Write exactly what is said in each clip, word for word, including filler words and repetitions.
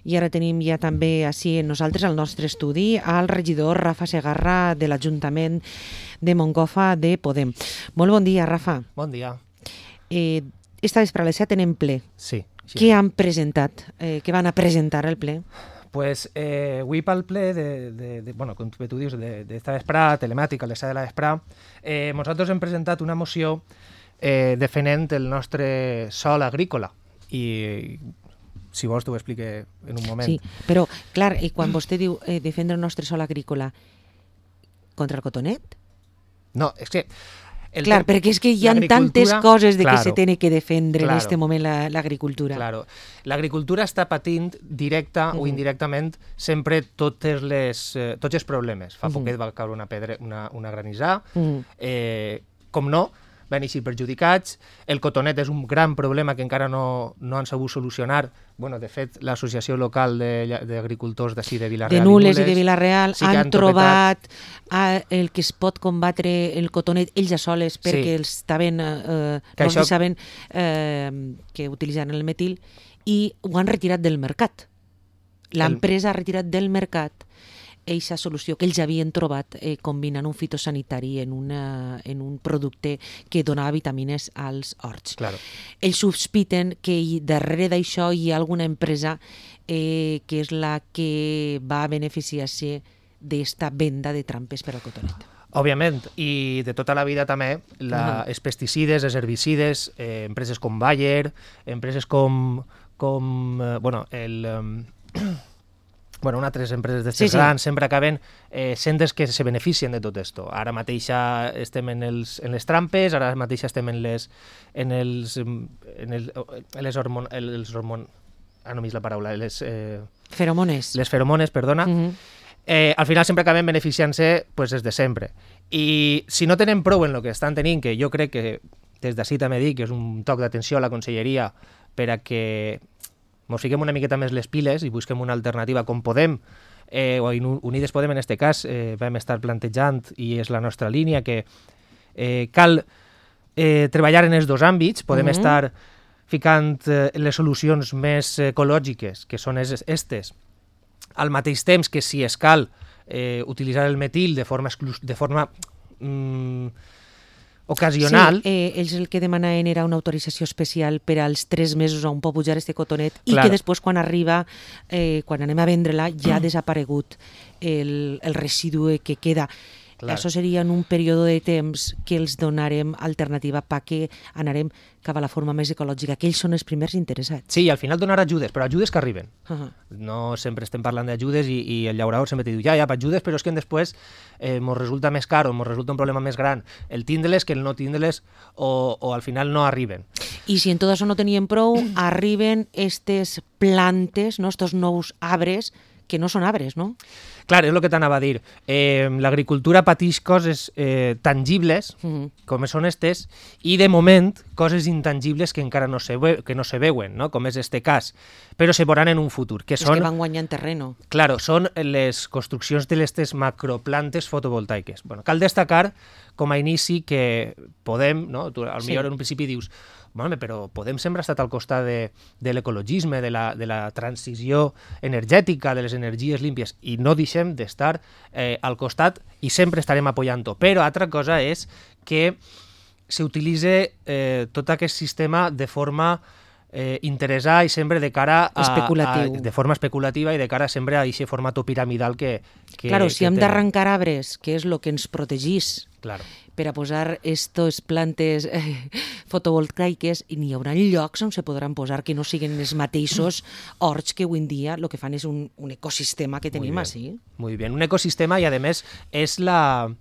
I ara tenim ja també així en nosaltres, al nostre estudi, al regidor Rafa Segarra de l'Ajuntament de Moncofa de Podem. Molt bon dia, Rafa. Bon dia. Eh, esta vespre a les set tenem ple. Sí. sí. Què han presentat? Eh, què van a presentar al ple? Pues eh, avui pel ple, de, de, de, bueno, com tu dius, d'esta vesprà, telemàtica, a les set de la vesprà, eh, nosaltres hem presentat una moció eh, defendent el nostre sol agrícola. I si vols t'ho explique en un moment. Sí, però, clar, i quan vostè diu eh, defendre el nostre sol agrícola contra el cotonet? No, és que... El clar, perquè és que hi ha tantes coses de claro, que se tiene que defendre claro, en este moment l'agricultura. Claro. L'agricultura està patint directa uh -huh. o indirectament sempre totes les, eh, tots els problemes. Fa uh -huh. poquet va caure una, pedra, una, una granissà, uh -huh. eh, com no, van així perjudicats. El cotonet és un gran problema que encara no, no han sabut solucionar. Bueno, de fet, l'associació local d'agricultors d'ací de Vila-real de Nules i de Vila-real sí han, han trobat tropetat... el que es pot combatre el cotonet ells a soles perquè sí. els estaven, eh, no això... saben eh, que utilitzaran el metil i ho han retirat del mercat. L'empresa el... ha retirat del mercat eixa solució que ells havien trobat eh, combinant un fitosanitari en, una, en un producte que donava vitamines als horts. Claro. Ells sospiten que hi, darrere d'això hi ha alguna empresa eh, que és la que va beneficiar-se d'esta venda de trampes per al cotonet. Òbviament, i de tota la vida també, la, uh -huh. els pesticides, els herbicides, eh, empreses com Bayer, empreses com, com eh, bueno, el... Um, bueno, unes altres empreses d'estes sí, grans sí. sempre acaben eh, sent els que se beneficien de tot això. Ara mateix estem en, els, en les trampes, ara mateix estem en les... en els... en el, en les hormon... Els hormon... Ah, no m'he la paraula. Les, eh, feromones. Les feromones, perdona. Uh -huh. eh, al final sempre acaben beneficiant-se pues, des de sempre. I si no tenen prou en el que estan tenint, que jo crec que des d'ací també dic que és un toc d'atenció a la conselleria per a que mos fiquem una miqueta més les piles i busquem una alternativa com Podem, eh, o Unides Podem en aquest cas, eh, vam estar plantejant i és la nostra línia que eh, cal eh, treballar en els dos àmbits, podem uh -huh. estar ficant eh, les solucions més ecològiques, que són aquestes, al mateix temps que si es cal eh, utilitzar el metil de forma, de forma mm, ocasional. Sí, eh, ells el que demanaven era una autorització especial per als tres mesos on pot pujar este cotonet i claro. que després quan arriba, eh, quan anem a vendre-la, ja ha desaparegut el, el residu que queda. Clar. Això seria en un període de temps que els donarem alternativa perquè anarem cap a la forma més ecològica, que ells són els primers interessats. Sí, i al final donar ajudes, però ajudes que arriben. Uh -huh. No sempre estem parlant d'ajudes i, i el llaurador sempre diu, ja, ja, ajudes, però és que després eh, mos resulta més car o mos resulta un problema més gran el tindre-les que el no tindre-les o, o al final no arriben. I si en tot això no tenien prou, arriben aquestes plantes, no? Estos nous arbres, que no són arbres, no? Clar, és el que t'anava a dir. Eh, L'agricultura pateix coses eh, tangibles, uh -huh. com són estes, i de moment coses intangibles que encara no se, ve, que no se veuen, no? Com és este cas, però se veuran en un futur. Que és són, que van guanyant terreno. Claro, són les construccions de les macroplantes fotovoltaiques. Bueno, cal destacar com a inici que Podem, no? Tu, al millor sí. en un principi dius Bueno, però Podem sempre ha estat al costat de, de l'ecologisme, de la, de la transició energètica, de les energies límpies, i no deixem d'estar eh, al costat i sempre estarem apoyant-ho. Però altra cosa és que s'utilitzi eh, tot aquest sistema de forma eh, interessada i sempre de cara a, a... de forma especulativa i de cara sempre a aquest format piramidal que... que claro, si que hem té. d'arrencar arbres, que és el que ens protegís, claro. per a posar aquestes plantes eh, fotovoltaiques, i n'hi haurà llocs on se podran posar que no siguin els mateixos horts que avui en dia el que fan és un, un ecosistema que tenim així. Molt bé, un ecosistema i a més és la...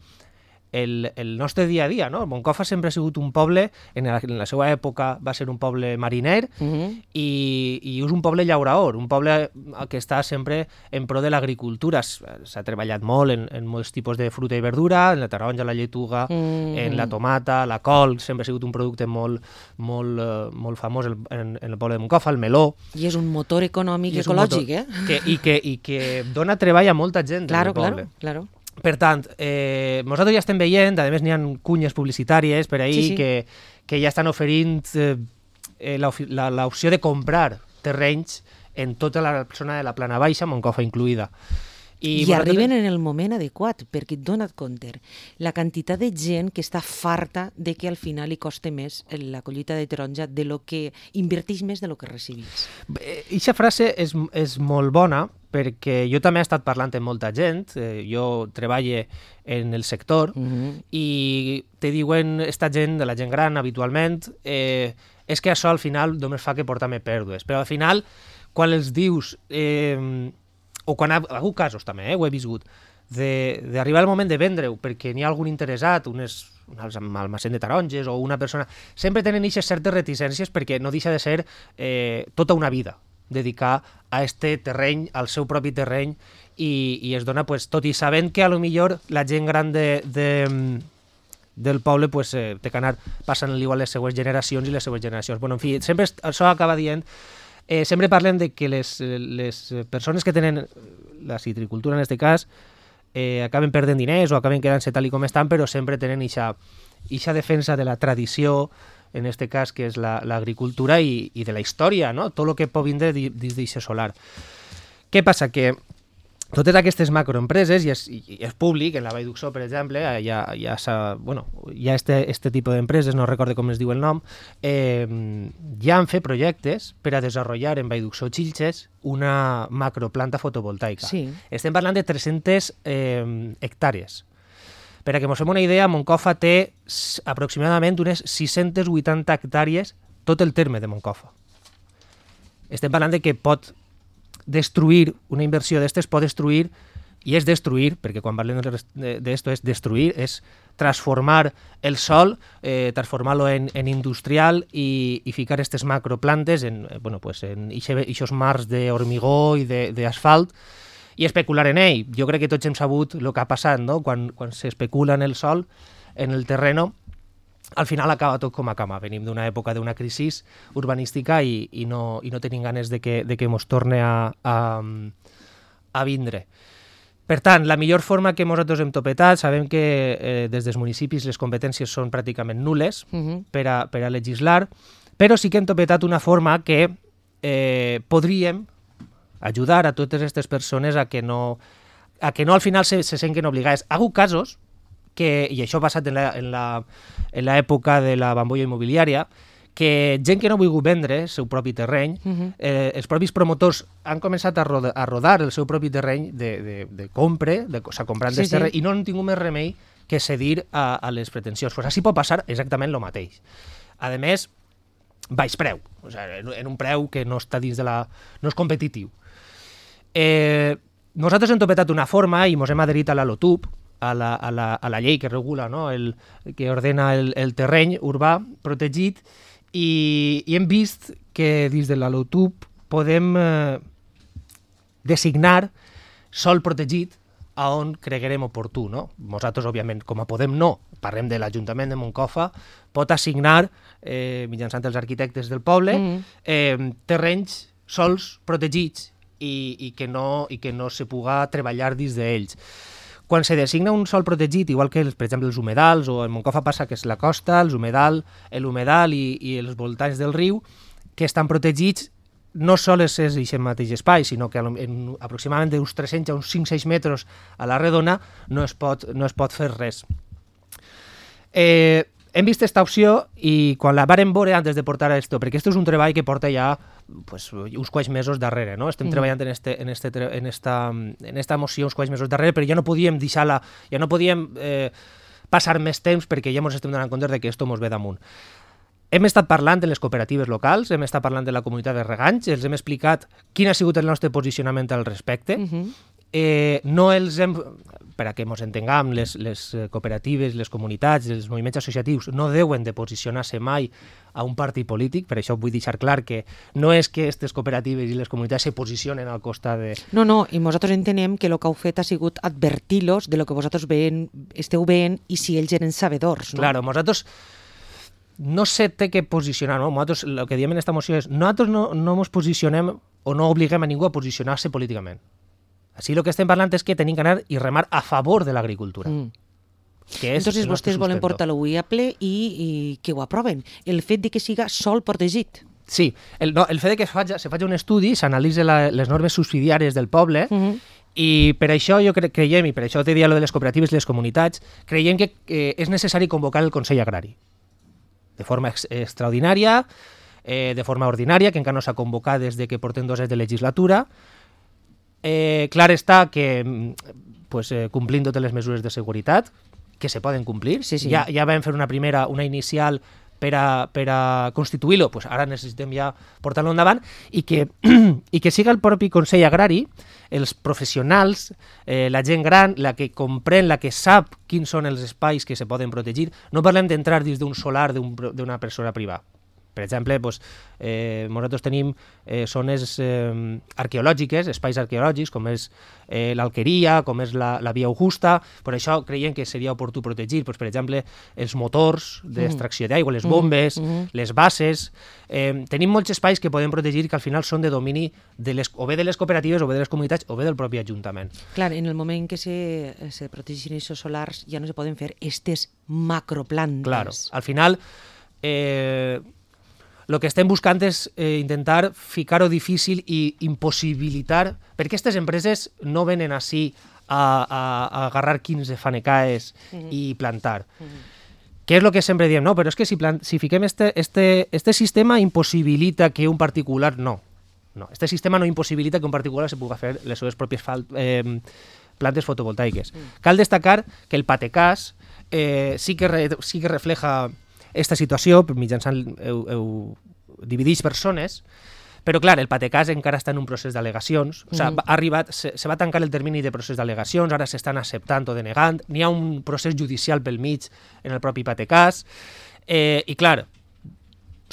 El, el nostre dia a dia, no? Moncofa sempre ha sigut un poble, en la, en la seva època va ser un poble mariner uh -huh. i, i és un poble llaurador, un poble que està sempre en pro de l'agricultura. S'ha treballat molt en, en molts tipus de fruita i verdura, en la taronja, la lletuga, uh -huh. en la tomata, la col, sempre ha sigut un producte molt, molt, uh, molt famós en, en el poble de Moncofa, el meló. I és un motor econòmic ecològic, eh? Que, i, que, I que dona treball a molta gent claro, del poble. Claro, claro. Per tant, eh, nosaltres ja estem veient, a més n'hi ha cunyes publicitàries per ahir sí, sí. que, que ja estan oferint eh, l'opció de comprar terrenys en tota la zona de la Plana Baixa, Moncofa incluïda. I, I arriben en el moment adequat, perquè et dona't compte la quantitat de gent que està farta de que al final li costa més la collita de taronja de lo que inverteix més de lo que recibís. Eixa frase és, és molt bona, perquè jo també he estat parlant amb molta gent, eh, jo treballo en el sector, uh-huh. i te diuen, esta gent, de la gent gran habitualment, eh, és que això al final només fa que portar-me pèrdues, però al final, quan els dius... Eh, o quan ha, ha hagut casos també, eh, ho he viscut, d'arribar al moment de vendre-ho perquè n'hi ha algun interessat, unes, un almacén de taronges o una persona, sempre tenen aquestes certes reticències perquè no deixa de ser eh, tota una vida dedicar a este terreny, al seu propi terreny, i, i es dona, pues, tot i sabent que a lo millor la gent gran de, de, del poble pues, eh, té que anar passant-li igual les seues generacions i les seues generacions. Bueno, en fi, sempre això acaba dient. Eh, sempre parlem de que les, les persones que tenen la citricultura, en aquest cas, eh, acaben perdent diners o acaben quedant-se tal i com estan, però sempre tenen aquesta defensa de la tradició, en aquest cas, que és l'agricultura, la, i, i de la història, no? Tot el que pot vindre dins d'eixe solar. Què passa? Que totes aquestes macroempreses, i és, i és públic, en la Vall d'Uxó, per exemple, hi ha, hi ha, bueno, hi ha este, este tipus d'empreses, no recordo com es diu el nom, eh, ja han fet projectes per a desenvolupar en Vall d'Uxó Xilxes una macroplanta fotovoltaica. Sí. Estem parlant de tres-centes eh, hectàrees. Per a que ens fem una idea, Moncofa té aproximadament unes sis-centes vuitanta hectàrees tot el terme de Moncofa. Estem parlant de que pot destruir, una inversió d'estes pot destruir, i és destruir, perquè quan parlem d'esto és destruir, és transformar el sol, eh, transformar-lo en, en industrial i, i ficar aquestes macroplantes en, bueno, pues en eixos mars d'hormigó i d'asfalt i especular en ell. Jo crec que tots hem sabut el que ha passat, no? Quan, quan s'especula en el sol, en el terreno, al final acaba tot com acaba. Venim d'una època d'una crisi urbanística i, i, no, i no tenim ganes de que, de que mos torne a, a, a vindre. Per tant, la millor forma que nosaltres hem topetat, sabem que eh, des dels municipis les competències són pràcticament nules uh-huh. per, a, per a legislar, però sí que hem topetat una forma que eh, podríem ajudar a totes aquestes persones a que no, a que no al final se, se senten obligades. Ha hagut casos que, i això ha passat en l'època de la bombolla immobiliària, que gent que no ha volgut vendre el seu propi terreny, uh-huh. eh, els propis promotors han començat a rodar, a rodar el seu propi terreny de, de, de compra, de, o sigui, comprant sí, terreny, sí. i no han tingut més remei que cedir a, a les pretensions. Pues així pot passar exactament el mateix. A més, baix preu, o sigui, en, en un preu que no està dins de la... no és competitiu. Eh, nosaltres hem topetat una forma i ens hem adherit a la LOTUP, a la, a la, a la llei que regula, no? el, que ordena el, el terreny urbà protegit, i, i hem vist que dins de la LOTUP podem eh, designar sòl protegit a on creguerem oportú. No? Nosaltres, òbviament, com a Podem no, parlem de l'Ajuntament de Moncofa, pot assignar, eh, mitjançant els arquitectes del poble, mm. eh, terrenys, sòls protegits i, i, que no, i que no se puga treballar dins d'ells. Quan se designa un sòl protegit, igual que, per exemple, els humedals, o en Moncofa passa que és la costa, els humedal, l'humedal i, i els voltants del riu, que estan protegits, no sols és aquest mateix espai, sinó que en aproximadament d'uns tres-cents a uns cinc-sis metres a la redona no es pot, no es pot fer res. Eh, hem vist aquesta opció i quan la vàrem veure antes de portar esto, perquè esto és un treball que porta ja pues, uns quants mesos darrere, no? Estem mm. treballant en, este, en, este, en, esta, en esta moció uns quants mesos darrere, però ja no podíem deixar-la, ja no podíem eh, passar més temps perquè ja ens estem donant compte de que esto mos ve damunt. Hem estat parlant de les cooperatives locals, hem estat parlant de la comunitat de reganys, els hem explicat quin ha sigut el nostre posicionament al respecte. Mm-hmm. Eh, no els hem, per a que ens entenguem, les, les cooperatives, les comunitats, els moviments associatius no deuen de posicionar-se mai a un partit polític, per això vull deixar clar que no és que aquestes cooperatives i les comunitats se posicionen al costat de... No, no, i nosaltres entenem que el que heu fet ha sigut advertir-los de lo que vosaltres veient, esteu veient i si ells eren sabedors. No? Claro, nosaltres no se té que posicionar, no? Nosaltres, el que diem en aquesta moció és nosaltres no, no ens posicionem o no obliguem a ningú a posicionar-se políticament. Així el que estem parlant és que tenim que anar i remar a favor de l'agricultura. Mm. Entonces vostès volen portar-lo avui a ple i, i que ho aproven. El fet de que siga sòl protegit. Sí, el, no, el fet que es faci, se faci un estudi, s'analitza les normes subsidiàries del poble, uh -huh. i per això jo cre creiem, i per això te dia lo de les cooperatives i les comunitats, creiem que eh, és necessari convocar el Consell Agrari de forma ex extraordinària, eh, de forma ordinària, que encara no s'ha convocat des de que portem dos anys de legislatura. Eh, clar està que pues, eh, complint totes les mesures de seguretat, que se poden complir, sí, sí. Ja, ja vam fer una primera, una inicial per a, per a constituir-lo, pues ara necessitem ja portar-lo endavant, i que, i que siga el propi Consell Agrari, els professionals, eh, la gent gran, la que comprèn, la que sap quins són els espais que se poden protegir. No parlem d'entrar dins d'un solar d'una persona privada. Per exemple, doncs, eh, nosaltres tenim eh, zones eh, arqueològiques, espais arqueològics, com és eh, l'Alqueria, com és la, la Via Augusta. Per això creiem que seria oportú protegir, doncs, per exemple, els motors d'extracció d'aigua, les bombes, mm -hmm. les bases. Eh, tenim molts espais que podem protegir que al final són de domini de les, o bé de les cooperatives, o bé de les comunitats, o bé del propi Ajuntament. Clar, en el moment que se, se protegeixin aquests solars ja no se poden fer aquestes macroplantes. Clar, al final... Eh, el que estem buscant és eh, intentar ficar-ho difícil i impossibilitar, perquè aquestes empreses no venen així a, a, a agarrar quinze fanecaes mm-hmm. i plantar. Mm-hmm. Què és el que sempre diem? No, però és que si, plant, si fiquem este, este, este sistema impossibilita que un particular... No, no, este sistema no impossibilita que un particular se pugui fer les seves pròpies eh, plantes fotovoltaiques. Mm. Cal destacar que el Patecàs eh, sí, que re, sí que refleja esta situació mitjançant heu, heu divideix per zones, però clar, el Patecàs encara està en un procés d'al·legacions, o sigui, mm. ha arribat, se, se va tancar el termini de procés d'al·legacions, ara s'estan acceptant o denegant, n'hi ha un procés judicial pel mig en el propi Patecàs, eh, i clar,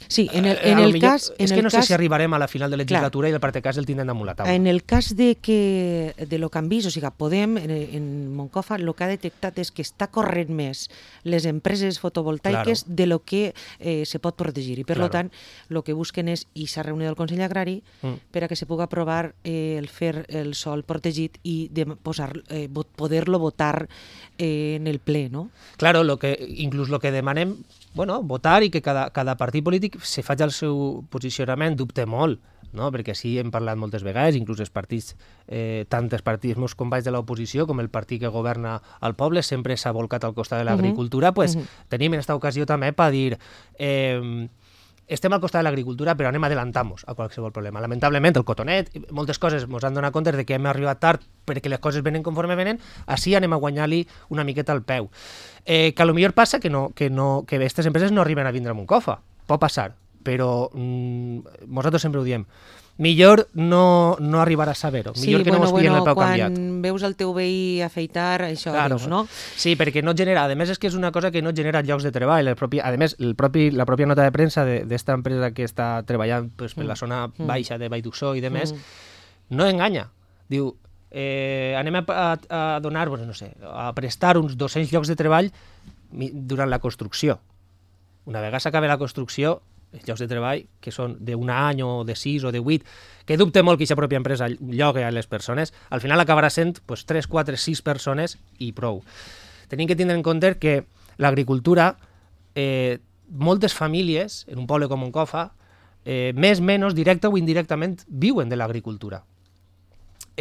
sí, en el, en el millor, cas... En és que el no cas, sé si arribarem a la final de legislatura clar, i el Patecàs el tindrem damunt la taula. En el cas de que de lo que han vist, o sigui, Podem, en, en Moncofa, el que ha detectat és que està corrent més les empreses fotovoltaiques claro. de lo que eh, se pot protegir. I per claro. tant, el que busquen és, i s'ha reunit el Consell Agrari, mm. per a que se pugui aprovar eh, el fer el sòl protegit i de posar, eh, poder-lo votar eh, en el ple, no? Claro, lo que, inclús el que demanem, bueno, votar i que cada, cada partit polític se faci el seu posicionament, dubte molt, no? Perquè sí hem parlat moltes vegades, inclús els partits, eh, tant els partits, meus companys de l'oposició com el partit que governa el poble, sempre s'ha volcat al costat de l'agricultura, uh -huh. pues uh -huh. tenim en aquesta ocasió també per dir... Eh, estem al costat de l'agricultura, però anem adelantant-nos a qualsevol problema. Lamentablement, el cotonet, moltes coses ens han donat compte de que hem arribat tard perquè les coses venen conforme venen, així anem a guanyar-li una miqueta al peu. Eh, que potser passa que no, que no, que aquestes empreses no arriben a vindre a Moncofa. Pot passar, però mm, nosaltres sempre ho diem. Millor no, no arribar a saber-ho. Millor sí, que bueno, no mos pillen bueno, el peu quan canviat. Quan veus el teu veí afeitar, això claro. dius, no? Sí, perquè no genera... A més, és que és una cosa que no genera llocs de treball. El propi, a més, el propi, la pròpia nota de premsa d'esta empresa que està treballant pues, per mm. la zona mm. baixa de Vall d'Uixó i de més, mm. no enganya. Diu, eh, anem a, a, a donar, bueno, no sé, a prestar uns dos-cents llocs de treball durant la construcció. Una vegada s'acabe la construcció, els llocs de treball, que són d'un any o de sis o de vuit, que dubte molt que aquesta pròpia empresa llogue a les persones, al final acabarà sent pues, tres, quatre, sis persones i prou. Tenim que tindre en compte que l'agricultura, eh, moltes famílies, en un poble com Moncofa, eh, més o menys, directe o indirectament, viuen de l'agricultura.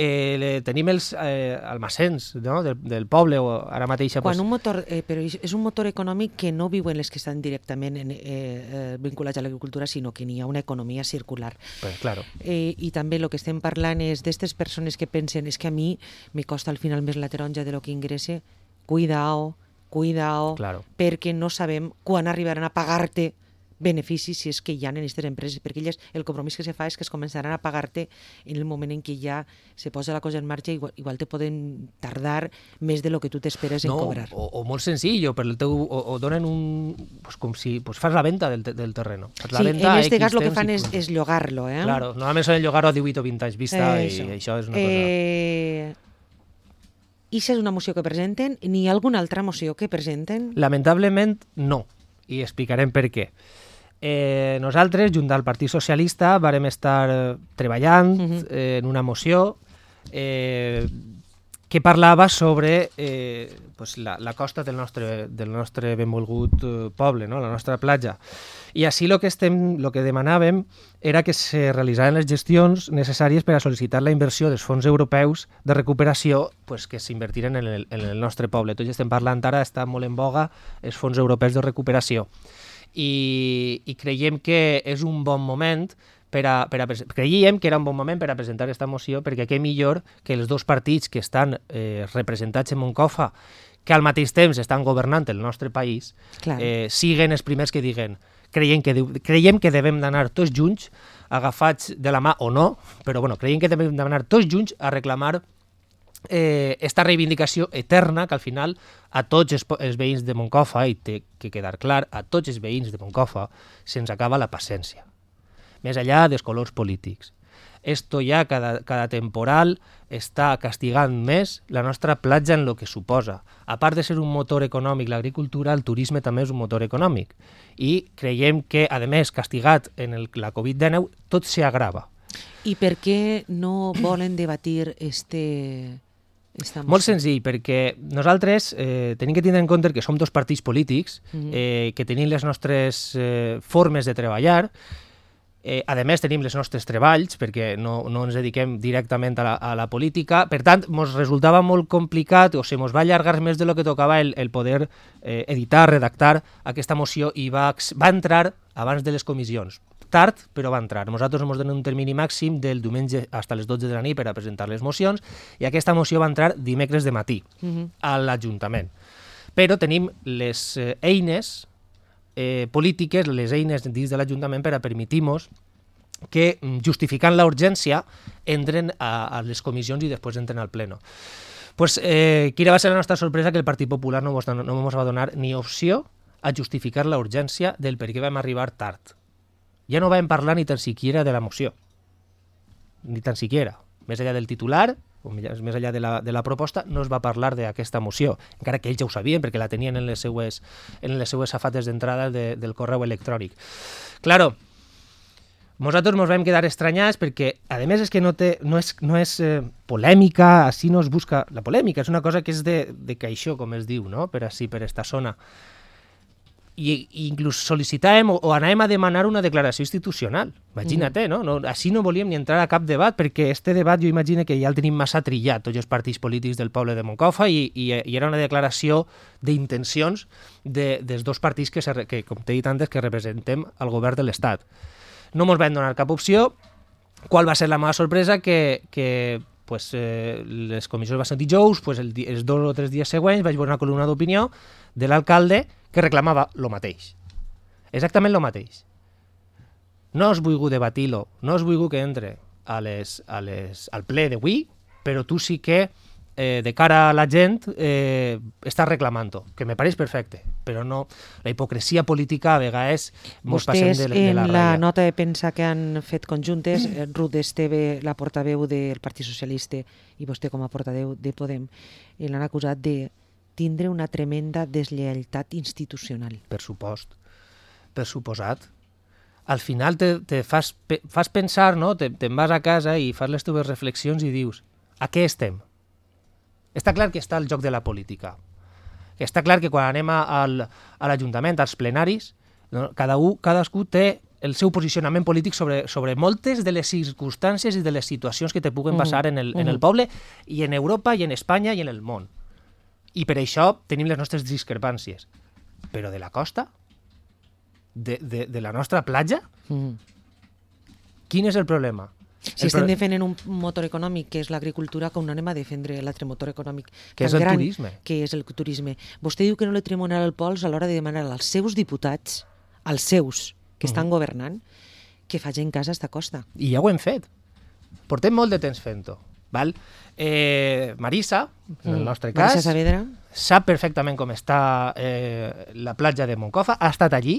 Eh, tenim els eh, almacens no? del, del poble o ara mateix... Quan pues... un motor, eh, però és un motor econòmic que no viuen les que estan directament en, eh, eh, vinculats a l'agricultura, sinó que n'hi ha una economia circular. Pues, claro. eh, I també el que estem parlant és d'estes persones que pensen és que a mi me costa al final més la taronja de lo que ingresse. Cuidao, cuidao, claro. perquè no sabem quan arribaran a pagar-te beneficis si és que hi ha en aquestes empreses, perquè elles, el compromís que se fa és que es començaran a pagar-te en el moment en què ja se posa la cosa en marxa, igual, igual te poden tardar més de lo que tu t'esperes en no, cobrar. O, o molt senzill, o, per el teu, o, o donen un... Pues, com si pues, fas la venda del, del terreno. Fas la sí, venta en este cas el que fan i... és, és llogar-lo. Eh? Claro, normalment solen llogar-ho a divuit o vint anys vista eh, i això és una cosa... Eh... Ixa és una moció que presenten? N'hi ha alguna altra moció que presenten? Lamentablement no, i explicarem per què. Eh, nosaltres, junt al Partit Socialista, vàrem estar treballant uh-huh. eh, en una moció eh, que parlava sobre eh, pues la, la costa del nostre, del nostre benvolgut eh, poble, no? La nostra platja. I així el que, estem, lo que demanàvem era que se realitzaren les gestions necessàries per a sol·licitar la inversió dels fons europeus de recuperació pues, que s'invertiren en, el, en el nostre poble. Tots estem parlant ara, està molt en boga els fons europeus de recuperació. I, i creiem que és un bon moment per a, per a, creiem que era un bon moment per a presentar aquesta moció, perquè què millor que els dos partits que estan eh, representats en Moncofa, que al mateix temps estan governant el nostre país, eh, siguen els primers que diguen creiem que, creiem que devem d'anar tots junts, agafats de la mà o no, però bueno, creiem que devem d'anar tots junts a reclamar eh, esta reivindicació eterna que al final a tots els, els veïns de Moncofa, i té que quedar clar, a tots els veïns de Moncofa se'ns acaba la paciència. Més enllà dels colors polítics. Esto ja, cada, cada temporal, està castigant més la nostra platja en el que suposa. A part de ser un motor econòmic, l'agricultura, el turisme també és un motor econòmic. I creiem que, a més, castigat en el, la covid dinou, tot s'agrava. I per què no volen debatir este... Molt senzill, perquè nosaltres eh, tenim que tindre en compte que som dos partits polítics, mm-hmm. eh, que tenim les nostres eh, formes de treballar. Eh, a més, tenim els nostres treballs, perquè no, no ens dediquem directament a la, a la política. Per tant, ens resultava molt complicat, o se ens va allargar més de lo que tocava el, el poder eh, editar, redactar aquesta moció, i va, va entrar abans de les comissions. Tard, però va entrar. Nosaltres ens donem un termini màxim del diumenge fins a les dotze de la nit per a presentar les mocions, i aquesta moció va entrar dimecres de matí mm-hmm. a l'Ajuntament. Però tenim les eh, eines Eh, polítiques, les eines dins de l'Ajuntament per a permitir-nos que, justificant la urgència, entren a, a les comissions i després entren al pleno. Pues, eh, quina va ser la nostra sorpresa? Que el Partit Popular no ens no, no va donar ni opció a justificar la urgència del per què vam arribar tard. Ja no vam parlar ni tan siquiera de la moció. Ni tan siquiera. Més enllà del titular, o més enllà de la, de la proposta, no es va parlar d'aquesta moció, encara que ells ja ho sabien perquè la tenien en les seues, en les seues safates d'entrada de, del correu electrònic. Claro, nosaltres ens vam quedar estranyats perquè, a més, és que no, té, no és, no és eh, polèmica, així no es busca... La polèmica és una cosa que és de, de caixó, com es diu, no? Per així, per esta zona. I, i inclús sol·licitàvem o, o anàvem a demanar una declaració institucional. Imagina't, mm. no? no? Així no volíem ni entrar a cap debat, perquè este debat jo imagino que ja el tenim massa trillat, tots els partits polítics del poble de Moncofa, i, i, i era una declaració d'intencions de, dels dos partits que, se, que, com t'he dit antes, que representem el govern de l'Estat. No ens van donar cap opció. Qual va ser la meva sorpresa? Que, que pues, eh, les comissions van ser dijous, pues, el, els dos o tres dies següents vaig veure una columna d'opinió de l'alcalde que reclamava lo mateix. Exactament lo mateix. No has volgut debatir-lo, no has volgut que entre a les, a les, al ple d'avui, però tu sí que eh, de cara a la gent eh, estàs reclamant-ho, que me pareix perfecte, però no, la hipocresia política a vegades mos passem de, de la ratlla. Vostès, en la nota de premsa que han fet conjuntes, Ruth Esteve, la portaveu del Partit Socialista, i vostè com a portaveu de Podem, l'han acusat de tindre una tremenda deslleialtat institucional. Per supost, per suposat. Al final te, te fas, pe, fas pensar, no? Te, te'n vas a casa i fas les teves reflexions i dius, a què estem? Està clar que està el joc de la política. Està clar que quan anem a, al, a l'Ajuntament, als plenaris, no? Cada un, cadascú té el seu posicionament polític sobre, sobre moltes de les circumstàncies i de les situacions que te puguen passar uh-huh. en, el, uh-huh. en el poble, i en Europa, i en Espanya, i en el món. I per això tenim les nostres discrepàncies. Però de la costa? De, de, de la nostra platja? Mm. Quin és el problema? Si el estem pro... defendent un motor econòmic, que és l'agricultura, com no anem a defendre l'altre motor econòmic que és el gran, turisme. Que és el turisme. Vostè diu que no li tremolarà el pols a l'hora de demanar als seus diputats, als seus, que estan mm. governant, que facin cas a esta costa. I ja ho hem fet. Portem molt de temps fent-ho. Val? Eh, Marisa, en el nostre cas, Marisa Saavedra, sap perfectament com està eh, la platja de Moncofa, ha estat allí,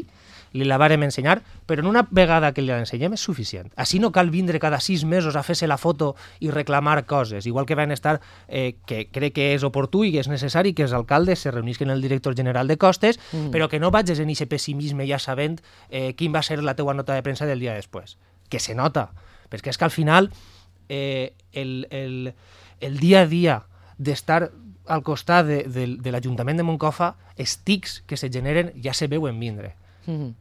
li la vàrem ensenyar, però en una vegada que li l'ensenyem és suficient. Així no cal vindre cada sis mesos a fer-se la foto i reclamar coses, igual que van estar, eh, que crec que és oportú i que és necessari que els alcaldes se reunisquen el director general de costes, mm. però que no vagis en aquest pessimisme ja sabent eh, quin va ser la teua nota de premsa del dia després. Que se nota, perquè és que al final... Eh, el, el, el dia a dia d'estar al costat de, de, de l'Ajuntament de Moncofa, els tics que se generen ja se veuen vindre. Mm-hmm.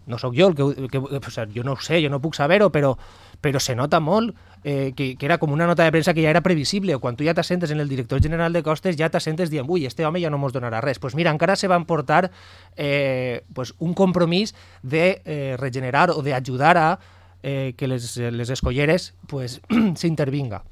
No sóc jo el que... que o sigui, jo no ho sé, jo no puc saber-ho, però, però se nota molt eh, que, que era com una nota de premsa que ja era previsible. Quan tu ja t'assentes en el director general de Costes, ja t'assentes dient, ui, este home ja no mos donarà res. Doncs pues mira, encara se van portar eh, pues un compromís de eh, regenerar o d'ajudar a eh, que les, les escolleres pues, s'intervinga.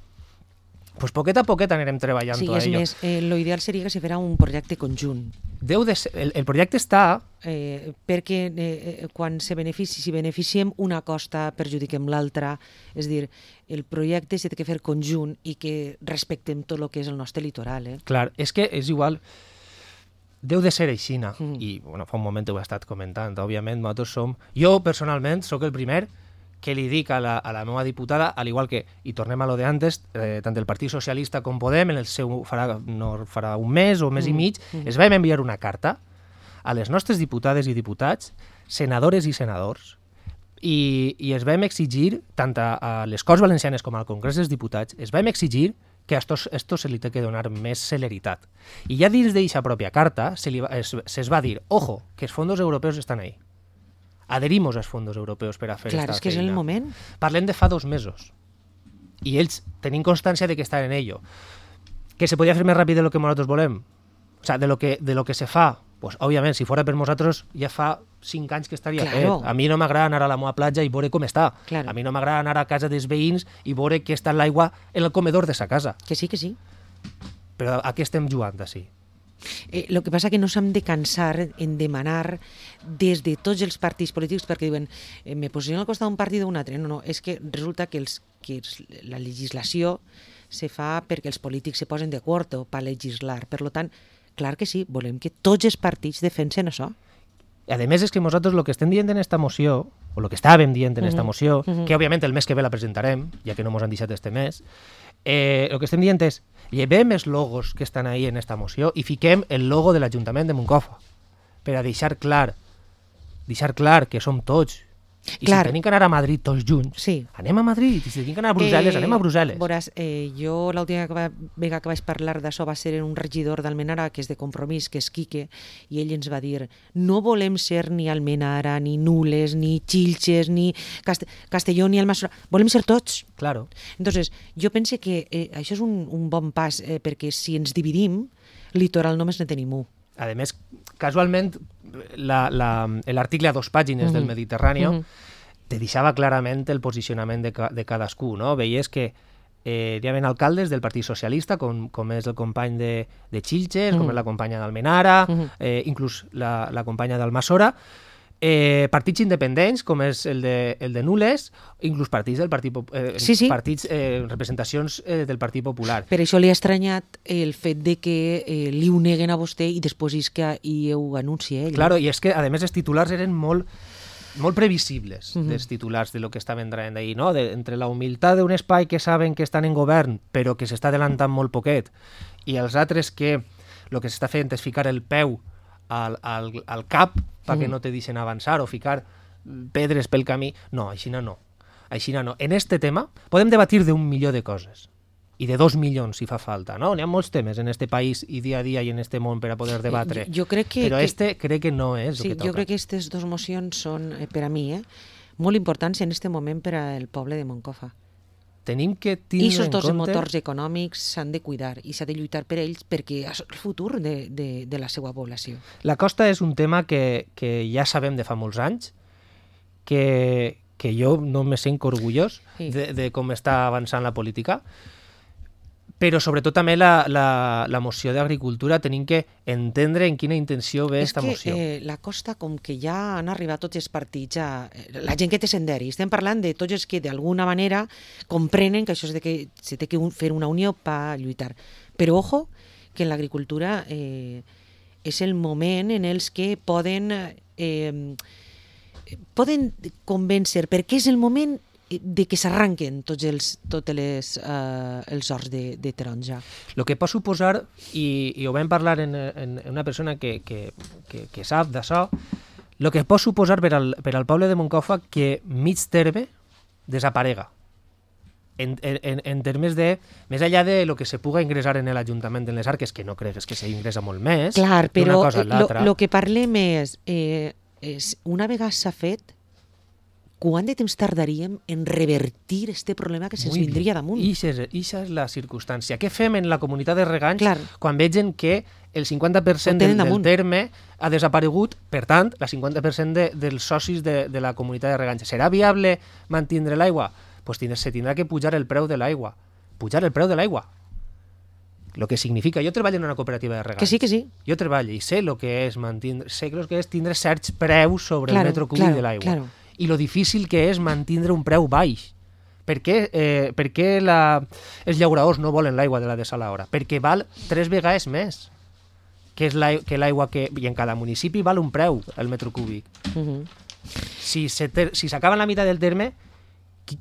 Pues poquet a poquet anirem treballant sí, tot allò. Sí, és més, eh, lo ideal seria que se fera un projecte conjunt. Deu de ser, el, el projecte està... Eh, perquè eh, quan se benefici, si beneficiem una costa, perjudiquem l'altra. És a dir, el projecte s'ha de fer conjunt i que respectem tot el que és el nostre litoral. Eh? Clar, és que és igual... Deu de ser aixina. Mm. I, bueno, fa un moment ho he estat comentant. Òbviament, nosaltres som... Jo, personalment, sóc el primer que li dic a la, a la meva diputada, al igual que, i tornem a lo de antes, eh, tant el Partit Socialista com Podem, en el seu farà, no, farà un mes o un mes mm. i mig, mm. es vam enviar una carta a les nostres diputades i diputats, senadores i senadors, i, i es vam exigir, tant a, a les Corts Valencianes com al Congrés dels Diputats, es vam exigir que a estos, esto se li té que donar més celeritat. I ja dins d'eixa pròpia carta se, li va, es, se es va dir, ojo, que els fondos europeus estan ahí. Adherimos als fondos europeus per a fer Clar, esta és que feina. És el moment. Parlem de fa dos mesos. I ells tenim constància de que estan en ello. Que se podia fer més ràpid de lo que nosaltres volem? O sea, de lo que, de lo que se fa? Pues, òbviament, si fora per nosaltres, ja fa cinc anys que estaria claro. fet. A mi no m'agrada anar a la meva platja i veure com està. Claro. A mi no m'agrada anar a casa dels veïns i veure que està l'aigua en el comedor de sa casa. Que sí, que sí. Però a què estem jugant, així? Eh, el que passa que no s'hem de cansar en demanar des de tots els partits polítics perquè diuen, eh, me posiciono al costat d'un partit o d'un altre. No, no, és que resulta que, els, que els, la legislació se fa perquè els polítics se posen d'acord per legislar. Per tant, clar que sí, volem que tots els partits defensen això. I a més és que nosaltres el que estem dient en esta moció, o el que estàvem dient en esta uh-huh. moció, uh-huh. que òbviament el mes que ve la presentarem, ja que no mos han deixat este mes, eh, el que estem dient és llevem els logos que estan ahí en esta moció i fiquem el logo de l'Ajuntament de Moncofa per a deixar clar deixar clar que som tots. I clar. Si tenim que anar a Madrid tots junts, sí. anem a Madrid. I si tenim que anar a Brussel·les, eh, anem a Brussel·les. Veuràs, eh, jo l'última vegada que vaig parlar d'això va ser en un regidor d'Almenara, que és de Compromís, que és Quique, i ell ens va dir, no volem ser ni Almenara, ni Nules, ni Xilxes, ni Cast Castelló, ni Almassora, volem ser tots. Claro. Entonces, jo pense que eh, això és un, un bon pas, eh, perquè si ens dividim, litoral només ne tenim un. A més, casualment, l'article a dos pàgines uh-huh. del Mediterrani uh-huh. te deixava clarament el posicionament de, ca de cadascú, no? Veies que eh, hi havia alcaldes del Partit Socialista, com, com és el company de, de Xilxes, uh-huh. com és la companya d'Almenara, uh-huh. eh, inclús la, la companya d'Almassora, eh, partits independents, com és el de, el de Nules, inclús partits del Partit eh, sí, sí. partits, eh, representacions eh, del Partit Popular. Per això li ha estranyat el fet de que eh, li ho neguen a vostè i després és que hi ho anuncia ell. Claro, i és que, a més, els titulars eren molt, molt previsibles, uh-huh. dels titulars de lo que estaven traient d'ahir, no? De, entre la humilitat d'un espai que saben que estan en govern, però que s'està adelantant molt poquet, i els altres que el que s'està fent és ficar el peu al, al, al cap perquè mm. no te deixen avançar o ficar pedres pel camí. No, aixina no. Aixina no. En este tema podem debatir d'un milió de coses i de dos milions si fa falta, no? N'hi ha molts temes en este país i dia a dia i en este món per a poder debatre. Eh, jo, jo crec que, però que... este crec que no és sí, el que toca. Jo crec que aquestes dues mocions són, eh, per a mi, eh, molt importants en este moment per al poble de Moncofa. Tenim que tindre I aquests dos en compte... motors econòmics s'han de cuidar i s'ha de lluitar per ells perquè és el futur de, de, de la seva població. La costa és un tema que, que ja sabem de fa molts anys, que, que jo no me sent orgullós sí. de, de com està avançant la política, però sobretot també la, la, la moció d'Agricultura tenim que entendre en quina intenció ve aquesta moció. És que eh, la costa, com que ja han arribat tots els partits, a, la gent que té senderi, estem parlant de tots els que d'alguna manera comprenen que això és de que se té que fer una unió per lluitar. Però ojo, que en l'agricultura eh, és el moment en els que poden, eh, poden convèncer, perquè és el moment de que s'arranquen tots els, tots les, uh, els horts de, de taronja. El que pot suposar, i, i ho vam parlar en, en, en una persona que, que, que, que sap d'això, el que pot suposar per al, per al poble de Moncofa que mig terme desaparega. en, en, en termes de, més enllà de lo que se puga ingressar en l'Ajuntament en les arques, que no cregues que s'ingressa molt més, clar, però cosa el que parlem és, eh, és, una vegada s'ha fet, quant de temps tardaríem en revertir este problema que se'ns vindria damunt? Ixa és, ixa és la circumstància. Què fem en la comunitat de regants clar. quan vegen que el cinquanta per cent del, del terme ha desaparegut, per tant, el cinquanta per cent de, dels socis de, de la comunitat de regants? Serà viable mantindre l'aigua? Pues se tindrà que pujar el preu de l'aigua. Pujar el preu de l'aigua. Lo que significa... Jo treballo en una cooperativa de regants. Que sí, que sí. Jo treballo i sé el que és mantindre, sé el que és tindre certs preus sobre claro, el metro cúbic claro, de l'aigua. Claro. I lo difícil que és mantindre un preu baix. Per què, eh, per què la, els llauradors no volen l'aigua de la desaladora? Perquè val tres vegades més que l'aigua que... I en cada municipi val un preu, el metro cúbic. Uh-huh. Si s'acaba si en la meitat del terme,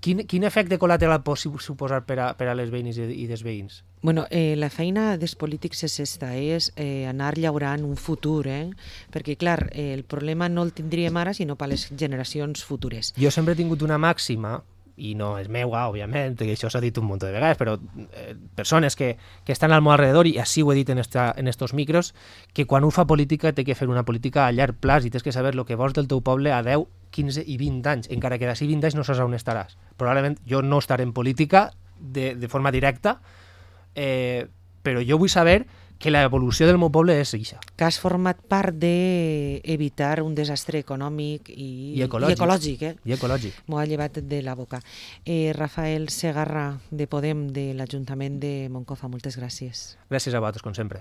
quin, quin efecte col·lateral pot suposar per a, per a les veïnes i, i dels veïns? Bueno, eh, la feina dels polítics és esta, és eh, anar llaurant un futur, eh? Perquè, clar, eh, el problema no el tindríem ara, sinó per a les generacions futures. Jo sempre he tingut una màxima, i no és meua, òbviament, que això s'ha dit un munt de vegades, però eh, persones que, que estan al meu alrededor, i així ho he dit en, esta, en estos micros, que quan un fa política té que fer una política a llarg plaç i tens que saber el que vols del teu poble a deu, quinze i vint anys, encara que d'ací vint anys no saps on estaràs. Probablement jo no estaré en política de, de forma directa, eh, però jo vull saber que l'evolució del meu poble és eixa. Que has format part d'evitar un desastre econòmic i, I ecològic. I ecològic, eh? I ecològic. M'ho ha llevat de la boca. Eh, Rafael Segarra, de Podem, de l'Ajuntament de Moncofa, moltes gràcies. Gràcies a vosaltres, com sempre.